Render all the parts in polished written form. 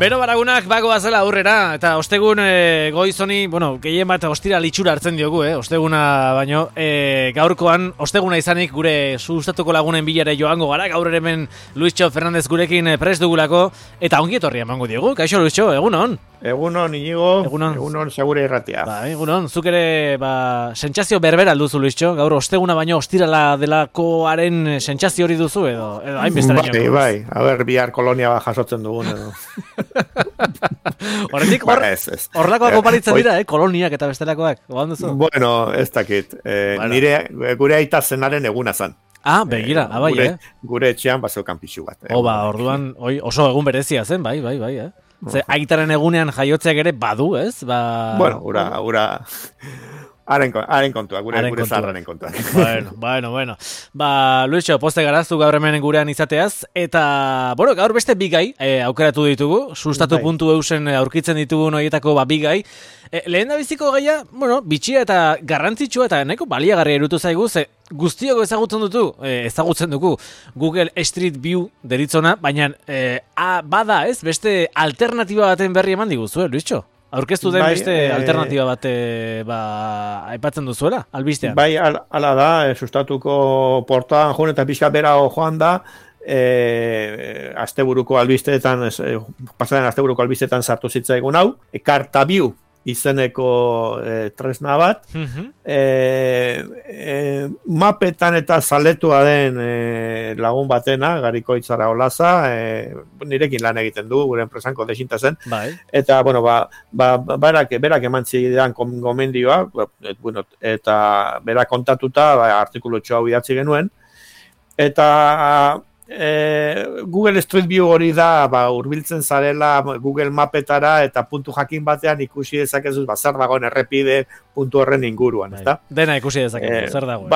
Bero Baragunak bagoazela aurrera, eta ostegun goizoni, gehien bat ostira litxura hartzen diogu, osteguna baino, gaurkoan osteguna izanik gure sustatuko lagunen bilare joango gara, gaur ere hemen Luisxo Fernandez gurekin prest dugulako, eta ongi etorri emango diogu. Kaixo Luisxo, egunon? Egunon, Inigo, egunon segure irratia. Egunon, zuk ere, sentsazio berbera alduzu, Luisxo, gaur osteguna baino ostirala delakoaren sentsazio hori duzu, edo hainbesteraino. Bai, a ber, bihar kolonia jasotzen dugun, edo. Horretik, horrelakoak oparitzen dira, koloniak eta bestelakoak, gogan duzu? Bueno, ez dakit, gure aita zenaren eguna zan. Begira, bai, Gure etxean bazeukan pixu bat. Orduan, oso egun berezia zen, bai. Ze aitaren egunean jaiotzeak ere badu, ez? Bueno, ura... Haren kontua, gure zaharraren kontua. Bueno. Luisxo, poste garaztu gaur hemen gurean izateaz, eta, gaur beste bigai aukeratu ditugu, sustatu.eusen aurkitzen ditugu noietako bi gai. Lehen da biziko gaia, bitxia eta garrantzitsua eta nahiko baliagarria irutu zaigu, ze guztiok ezagutzen dugu Google Street View deritzona, baina bada ez, beste alternatiba baten berri eman diguzu, Luisxo? Aurkeztu den beste alternatiba bat aipatzen duzuela, albistean? Bai, ala da, sustatuko portaan joan eta pixka bera joan da, asteburuko albisteetan, pasaren asteburuko albisteetan sartu zitzaigun hau, Kartabiu izeneko tresna bat, mapetan eta zaletua den lagun batena, Garikoitzara Olaza, nirekin lan egiten du, gure enpresanko desinta zen, eta, berak eman zidan gomendioa, eta berak kontatuta, artikulu hau idatzi genuen, eta Google Street View hori da, hurbiltzen zarela Google Mapetara eta puntu jakin batean ikusi dezakezu zer dagoen errepide puntu horren inguruan, ezta? Dena ikusi dezakezu, zer dagoen.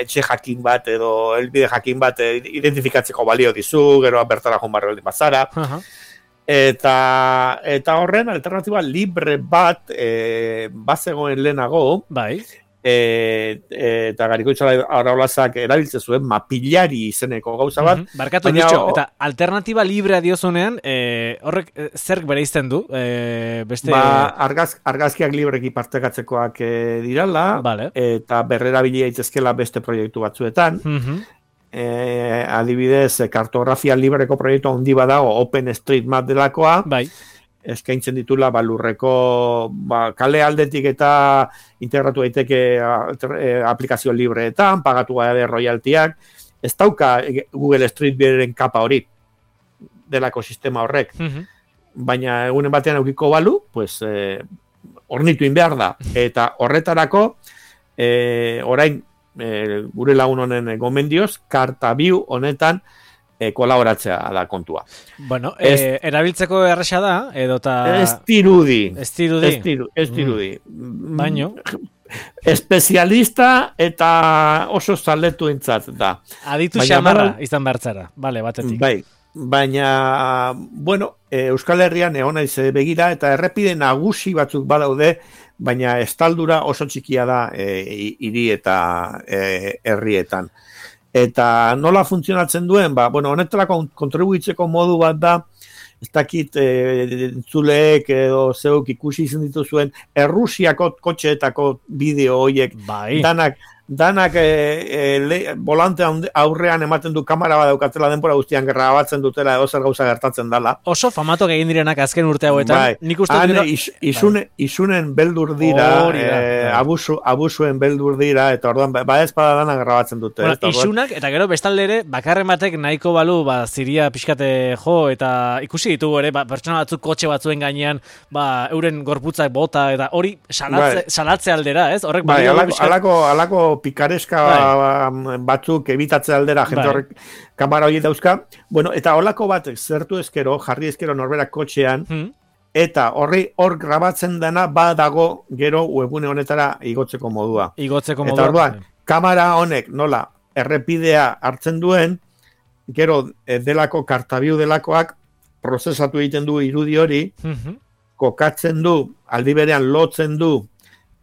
Etxe jakin bat edo helbide jakin bat identifikatzeko balio dizu, gero bertara joan barri bazara. Eta horren alternatiba libre bat bazegoen lehenago, eta Garikoitzara Olazak erabiltzen zuen mapillari izeneko gauza bat. Barkatu Luisxo, eta alternatiba librea diozunean, horrek zerk bereizten du? Argazkiak libreki partekatzekoak dirala, eta berrerabilia itzezkela beste proiektu batzuetan. Adibidez, kartografia libreko proiektu handi badago, OpenStreetMap delakoa, eskaintzen ditula lurreko kale aldetik eta integratu daiteke aplikazio libreetan, pagatu gabe royaltiak, ez dauka Google Street Viewren kapa hori delako sistema horrek, baina egunen batean eukiko balu, hornitu behar da, eta horretarako orain gure lagun honen gomendioz, Kartabiu honetan kolaboratzea da kontua. Erabiltzeko erresa da, edota... Ez dirudi. Baino? Espezialista eta oso zaletu entzat da. Aditu xamarra izan bertzara, batetik. Baina, Euskal Herrian egon naiz begira eta errepide nagusi batzuk badaude, baina estaldura oso txikia da hiri eta herrietan. Eta nola funtzionatzen duen, honetarako kontribuitzeko modu bat da, ez dakit entzuleek edo zeuk ikusi izan dituzuen Errusiako kotxeetako bideo horiek, danak volante aurrean ematen du kamera bat daukatela denbora guztian grabatzen dutela edo zer gauza gertatzen dela. Oso famatok egin direnak azken urte hauetan. Nik uste isunen beldur dira, abusuen beldur dira, eta orduan espada danak grabatzen dute. Isunak, eta gero bestalde ere, bakarren batek nahiko balu, ziria pixkate jo, eta ikusi ditugu ere, pertsona batzuk kotxe batzuen gainean, euren gorputzak bota, eta hori salatze aldera, ez? Horrek alako pikareska batzuk ebitatze aldera jente horrek kamera hori dauzka. Eta holako bat zertu ezkero, jarri ezkero norberak kotxean, eta hor grabatzen dena badago gero webune honetara igotzeko modua. Eta orduan, kamera honek nola errepidea hartzen duen, gero delako Kartabiu delakoak prozesatu egiten du irudi hori, kokatzen du, aldi berean lotzen du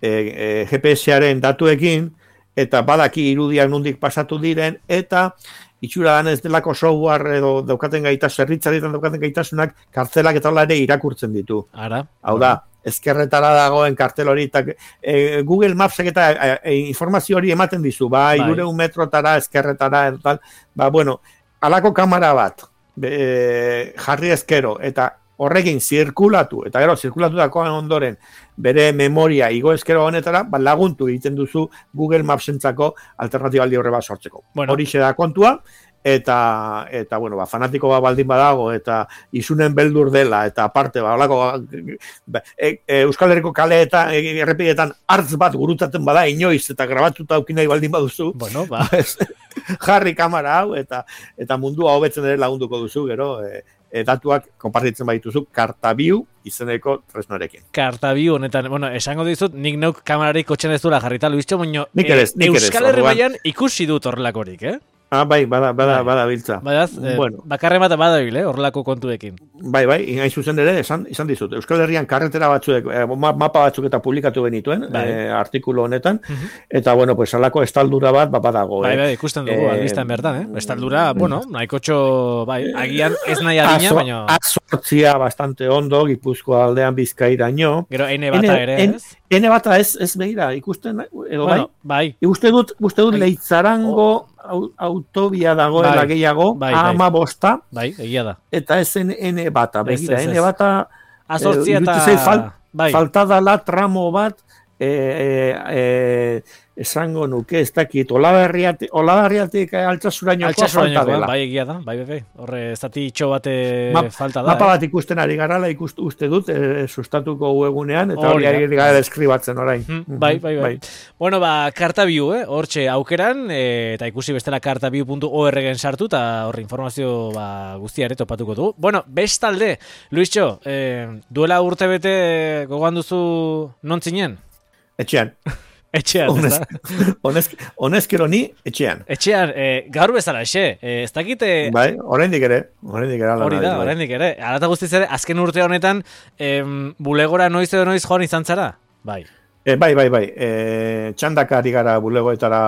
GPS-aren datuekin, eta badaki irudiak nondik pasatu diren, eta itxura dan ez delako software edo daukaten zerbitzarietan daukaten gaitasunak kartzelak eta ere irakurtzen ditu. Ara. Hau da, ezkerretara dagoen kartel hori, eta Google Mapsek eta informazio hori ematen dizu, bai. 200 metrotara, ezkerretara, eta, bueno, alako kamera bat, jarri ezkero, eta horrekin zirkulatu, eta gero zirkulatu dakoan ondoren bere memoria igo ezkero honetara, laguntu egiten duzu Google Mapsentzako alternatibaldi horre bat sortzeko. Horixe da kontua, eta bueno, fanatiko bat baldin badago, eta isunen beldur dela, eta aparte, Euskal Herriko kaleetan, errepidetan hartz bat gurutaten bada inoiz, eta grabatuta aukinai baldin baduzu, jarri kamera hau, eta mundua hobetzen ere lagunduko duzu, gero, datuak konpartitzen baituzu Kartabiu izeneko tresnorekin. Kartabiu honetan, bueno, esango dizut, nik neuk kamerarik kotxen ez dura jarrita, Luischo, baino, Euskal Herri mailan ikusi dut horrelakorik, Bai, bada biltza. Bakarren bat badabil, horrelako kontuekin. Bai, hain zuzen ere, izan dizut. Euskal Herrian karretera batzuek, mapa batzuk eta publikatu benituen, artikulu honetan, eta, bueno, pues, alako estaldura bat, badago. Bai, ikusten dugu, albistan bertan, Estaldura, bueno, nahikotxo, bai, agian ez nahi adina, baina... Azortzia bastante ondo, Gipuzkoa aldean Bizkairaino. Gero, ene bata ere, ez? Ene bata ez begira, ikusten, edo bai. Uste dut Leitzarango autobia dagoela gehiago, ama bosta. Bai, egia da. Eta ez ene bata, begira, ene bata... Azortzia eta... Falta dala tramo bat, esango nuke, ez dakit, Olaberriatik Altsasurainokoa falta dela. Bai, egia da, bai, horre, ez dati itxo bate falta da. Mapa bat ikusten ari garala, uste dut, sustatuko webgunean, eta hori ari gara deskribatzen orain. Bai. Bueno, Kartabiu, hortxe aukeran, eta ikusi bestela kartabiu.org-en sartu, eta horre informazio guztiare topatuko du. Bueno, bestalde, Luischo, duela urte bete gogoan duzu non zinen? Etxean, honezkero ni etxean. Etxean, gaur bezala, ez dakite... Bai, oraindik ere. Oraindik ere. Arata guztiz ere, azken urte honetan, bulegora noiz edo noiz joan izan zara? Bai. Bai. Txandaka ari gara bulegoetara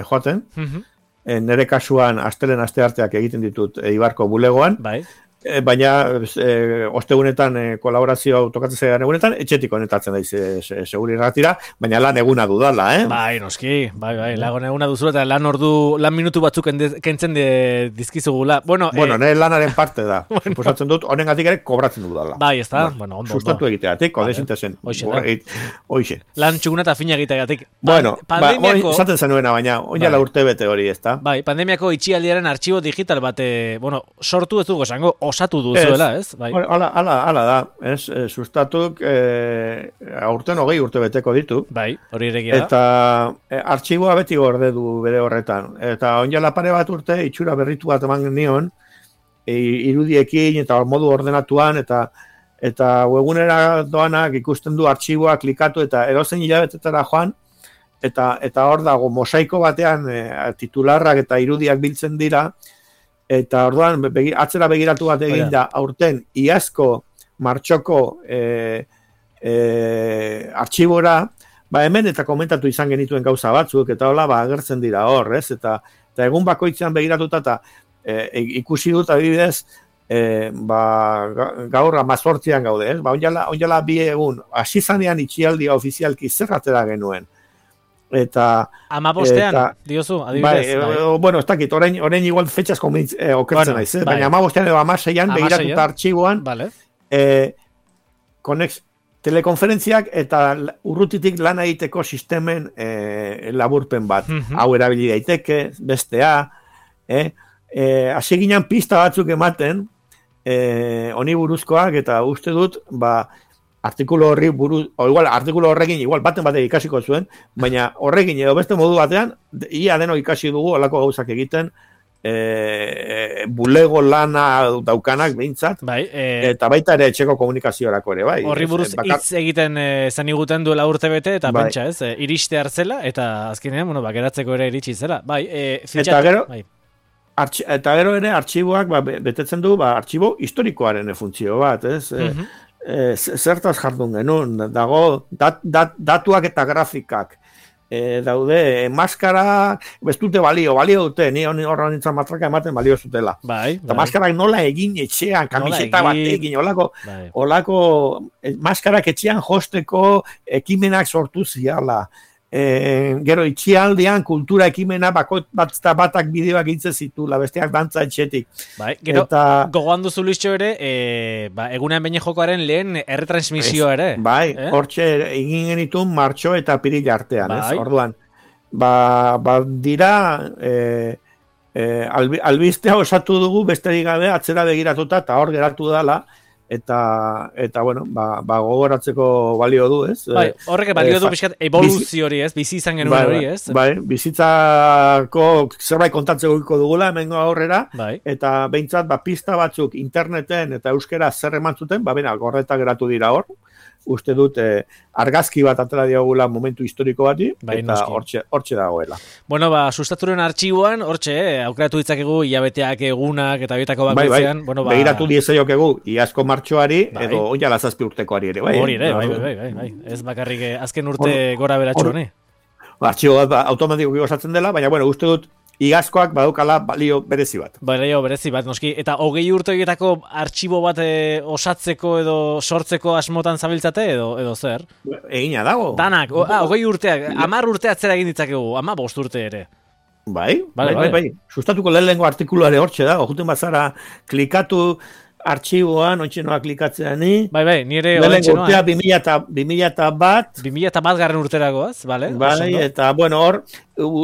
joaten. Nere kasuan, astearteak egiten ditut Ibarko bulegoan. Bai. Baina ostegunetan kolaborazioa tokatzen zaidan egunetan, etxetik honetatzen daiz seguri ratira, baina lan eguna dudala, Bai, noski, bai, lan eguna duzu eta lan minutu batzuk kentzen dizkizugula. Bueno, nire lanaren parte da. Suposatzen dut, honengatik ere kobratzen dudala. Bai, ez da, ondo. Sustatu egiteatik, odesintezen. Hoxe. Lan txuguna eta fina egiteagatik. Bueno, esaten zenuena, baina oinala urte bete hori, ez da? Bai, pandemiako itxialdiaren artxibo digital bat, sortu ez dugu esango, osatu duzuela, ez? Hala da, ez? Sustatuk aurten 20 urte beteko ditu. Bai, hori eregia da. Eta artxiboa beti gorde du bere horretan. Eta oinala pare bat urte, itxura berritu bat eman nion, irudiekin eta modu ordenatuan, eta webgunera doanak ikusten du artxiboa klikatu eta edozein hilabetetara joan, eta hor dago mosaiko batean titularrak eta irudiak biltzen dira, eta orduan atzera begiratu bat egin da aurten iazko martxoko artxibora, hemen eta komentatu izan genituen gauza batzuk, eta hola agertzen dira hor, ez? Eta egun bakoitzean begiratuta eta ikusi dut adibidez, gaur 18an gaude, ez? Onjala 2 egun, hasi zanean itxialdia ofizialki zer atera genuen. Eta... Amabostean, diozu, adibidez. Bueno, ez dakit, orain igual fetxaz okertzen naiz, baina amabostean edo 16an, begiratuta artxiboan, telekonferentziak eta urrutitik lan egiteko sistemen laburpen bat. Hau erabili daiteke, bestea, hasi ginen pista batzuk ematen, honi buruzkoak, eta uste dut, artikulu horri buruz, artikulu horrekin igual baten ikasiko zuen, baina horrekin edo beste modu batean, ia deno ikasi dugu olako gauzak egiten, bulego lana daukanak behintzat, eta baita ere etxeko komunikaziorako ere, bai. Horri buruz hitz egiten zan iguten duela urte bete, eta pentsa ez, iriste hartzela, eta azkenean, geratzeko ere iritsi zela. Eta gero ere artxiboak betetzen du, artxibo historikoaren funtzio bat, ez? Zertaz jardun genuen, dago datuak eta grafikak daude, maskara, ez dute balio dute, ni horra nintzen matraka ematen balio zutela. Bai. Eta maskarak nola egin etxean, kamiseta bat egin, olako maskarak etxean josteko ekimenak sortu ziala. Gero itxialdean kultura ekimena batak bideoak egitze zitula, besteak dantza etxetik. Bai, gero gogoan duzu Luisio ere, egunean behin jokoaren lehen erretransmisioa ere. Bai, hortxe egin genitun martxo eta piril artean, ez? Orduan, dira albistea osatu dugu besterik gabe atzera begiratuta eta hor geratu dela, eta bueno, gogoratzeko balio du, ez? Bai, horrek balio du pixkat evoluzio hori, ez? Bizi izan genuen hori, ez? Bai, bizitzako zerbait kontatzeko dugula hemengo aurrera, eta behintzat pista batzuk interneten eta euskera zer eman zuten, gorretak geratu dira hor. Uste dut argazki bat atera diogula momentu historiko bati, eta hortxe dagoela. Bueno, sustaturen artxiboan, hortxe, aukeratu ditzakegu hilabeteak, egunak, eta bietako bakoitzean. Begiratu diezaiokegu, iazko martxoari, edo oinala 7 urtekoari ere. Hori ere, bai. Ez bakarrik azken urte gora beratxuan, Artxibo bat automatikoki osatzen dela, baina, uste dut, iazkoak badukala balio berezi bat. Balio berezi bat, noski. Eta 20 urteetako artxibo bat osatzeko edo sortzeko asmotan zabiltzate edo zer? Egina dago. Danak, 20 urteak, 10 urte atzera egin ditzakegu, 15 urte ere. Bai. Sustatuko lehenengo artikuluare hortxe da, juten bazara klikatu artxiboan, ontxenoa klikatzea ni. Bai, nire ontxenoa. Urtea 2001. 2001 garren urteragoaz, bale? Bai, eta, hor,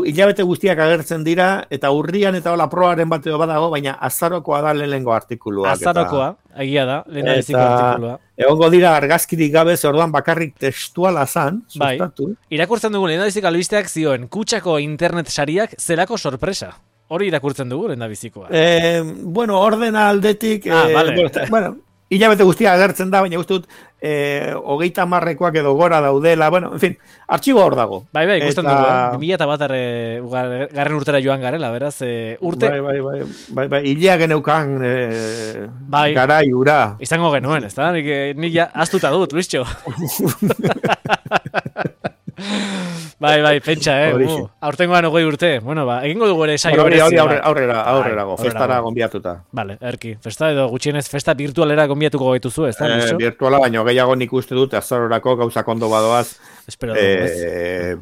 hilabete guztiak agertzen dira, eta urrian eta hola proaren bat edo badago, baina azarokoa da lehenengo artikulua. Azarokoa, egia da, lehena beziko artikulua. Egongo dira argazkirik gabe, orduan bakarrik testuala zan, sustatu. Irakurtzen dugu, lehena beziko albisteak zioen, kutxako internet sariak zelako sorpresa. Hori irakurtzen dugu, lehen da bizikoa. Ordena aldetik... hilabete guztia agertzen da, baina uste dut 30 edo gora daudela, en fin, artxibo hor dago. Bai, ikusten dugu, 2001 garren urtera joan garela, beraz, urte... Bai, hilea geneukan garai ura. Izango genuen, ez da? Nik ja astuta dut, Luisio. Bai, pentsa, aurtengoan 20 urte. Bueno, egingo dugu ere saio berezi. Aurrerago, festara gonbiatuta. Vale, erki. Festa edo gutxienez festa virtualera gonbiatuko gaituzu, ez da? Virtuala, baina gehiago nik uste dut azarorako gauzak ondo badoaz. Espero dugu,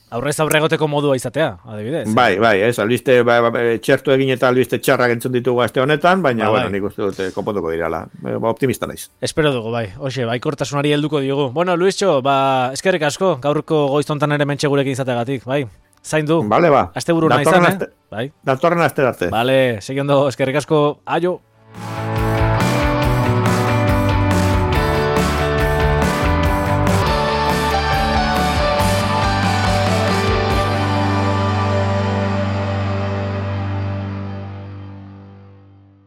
aurrez aurregoteko modua izatea, adibidez. Bai, ez, albiste txertu egin eta albiste txarrak entzun ditugu aste honetan, baina, nik uste dut konpontuko dirala. Optimista naiz. Espero dugu, bai. Hoxe, baikortasunari helduko diogu. Bueno, Luisio, eskerrik asko, gaurko goiztontan ere mentxe gurekin izateagatik, bai. Zain du. Vale, Aste buru nahi zan, Datorren aste arte. Vale, segi ondo, eskerrik asko, aio.